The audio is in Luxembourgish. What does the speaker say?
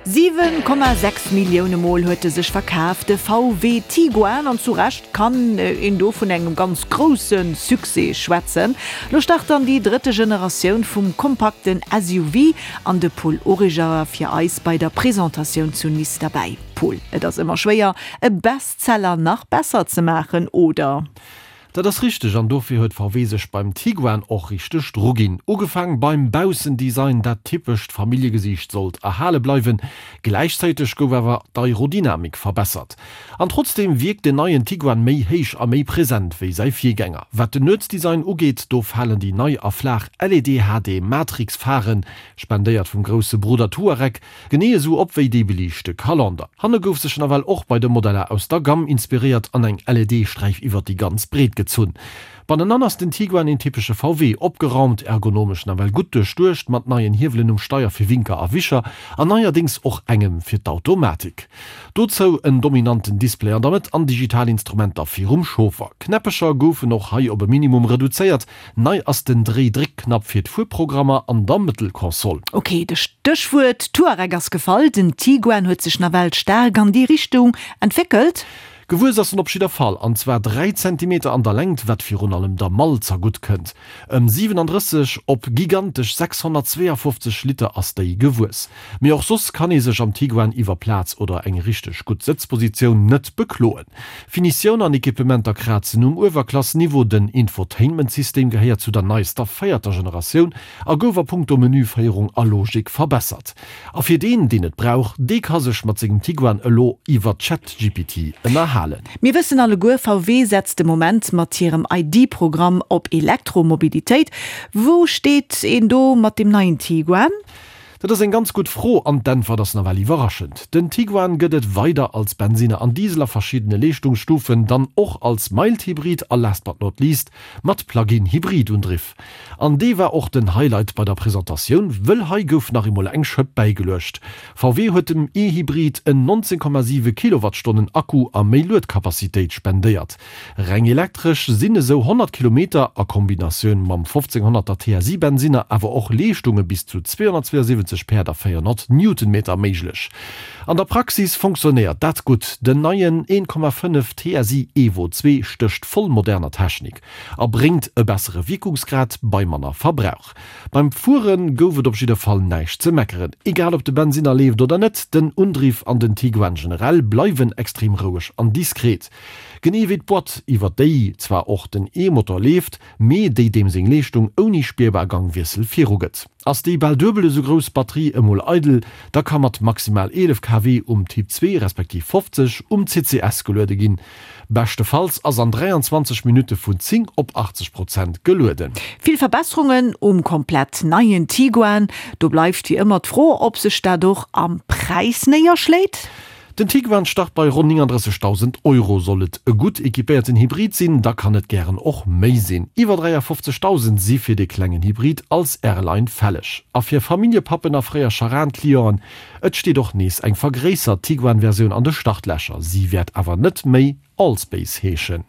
7,6 Millioune Mol huet e sech verkaf, de VW Tiguan, an zu Recht kann een do vun engem ganz grousse Succès schwätzen. Lo start dann déi drëtte Generatioun vum kompakten SUV an de Paul Origer war fir eis bei der Presentatioun zu Nice derbäi. Paul, et ass ëmmer schwéier e Bestseller nach besser ze maachen, oder? Dat ass richteg an dofir huet VW sech beim Tiguan och richteg druginn. Ugefaang beim Baussendesign, dat typescht Familljegesiicht sollt erhale bleiwen, gläichzäiteg gouf awer d'Aerodynamik verbessert. An trotzdeem wierkt den neien Tiguan méi héich a méi present wéi säi Virgänger. Wat den Nuetsdesign ugeet, do falen déi nei a flaach LED HD Matrix Pharen, spendéiert vum grousse Brudder Touareg, Genee esou op wéi déi beliichte Kalender. Hanne gouf sech nawell och bei de Modeller aus der Gamm inspiréiert an eng LED-Sträif iwwert déi ganz Breet gezunn. Bannenan ass den Tiguan een typesche VW, opgeraumt, ergonomesch nawell gutt duerchduecht, mat neien Hiewelen um Steier fir Winker a Wischer an neierdéngs och engem fir d'Automatik. Dozou en dominanten Display an der Mëtt an digital Instrumenter virum Chauffer. Knäppecher goufen och hei op e Minimum reduzéiert, Nei ass den Dréi-Dréck-Knapp fir d'Fuerprogrammer an der Mëttelkonsol. Ok, de Stéchwuert Touareg ass gefall. Den Tiguan huet sech nawell staark an déi Richtung entwéckelt. Gewuess ass en op jidder Fall, an zwar 3 Zentimeter an der Längt, wat virun allem der Mall zergutt kënnt. Ëm 37 op gigantesch 652 Liter ass déi gewuess. Mee och soss kann ee sech am Tiguan iwwer Plaz oder eng richteg gutt Sëtzpositioun net bekloen. Finitioun an Equipementer krazen um Uewerklass-Niveau, den Infotainment-System gehéiert zu der neiester véierter Generatioun a gouf a punkto Menüféierung a Logik verbessert. A fir deen, deen et brauch, dee ka sech mat sengem Tiguan elo iwwer ChatGPT ënnerhalen. Mir wëssen alleguer, VW setzt de Moment mat hirem ID-Programm op Elektromobilitéit. Wou steet een do mat dem neien Tiguan? Dat ass eng ganz gutt Fro an d'Äntwert ass nawell iwwerraschend. Den Tiguan gëtt et weider als Bensinner an Diesel a verschiddene Leeschtungsstufen, dann och als Mild-Hybrid a last but not least mat Plug-in-Hybrid-Undriff. An dee war och den Highlight bei der Presentatioun, wëll hei gouf nach eemol eng Schëpp bäigeluecht. VW huet dem E-Hybrid en 19,7 Kilowattstonnen Akku a méi Luedcapacitéit spendéiert. Reng elektresch sinn esou 100 Kilometer a Kombinatioun mam 1500er TSI Bensinner awer och Leeschtunge bis zu 272 Päerd a 400 Newtonmeter méiglech. An der Praxis fonctionnéiert dat gutt, den neien 1,5 TSI Evo 2 stécht voll moderner Technik a bréngt e bessere Wierkungsgrad bei manner Verbrauch. Beim Fuere gouf et op jidder Fall näischt ze meckeren. Egal ob de Bensinner leeft oder net, den Undriff an den Tiguan generell bleiwen extrem roueg an diskret. Genee wéi d'Boîte, iwwer déi zwar och den E-Motor leeft, mee déi deem seng Leeschtung ouni spierbar Gangwiessel virugëtt. Ass déi bal duebel esou grouss Batterie emol eidel, da ka mat maximal 11 kW um Typ 2 respektiv 50 um CCS geluede ginn. Beschtefalls ass an 23 Minutte vun 10 op 80 Prozent gelueden. Vill Verbesserungen um komplett neien Tiguan. Do bleift wéi ëmmer d'Fro, ob sech dat och am Präis néierschléit. Den Tiguan start bei ronn 39.000 Euro. Soll et e gutt equipéierten Hybrid sinn, da kann et gären och méi sinn. Iwwer 53.000 si fir dee klengen Hybrid als R-Line fälleg. A fir Familljepappen a fréier Charan-Clienten, et steet och nees eng vergréissert Tiguan-Versioun an de Startlächer. Si wäert awer net méi Allspace heeschen.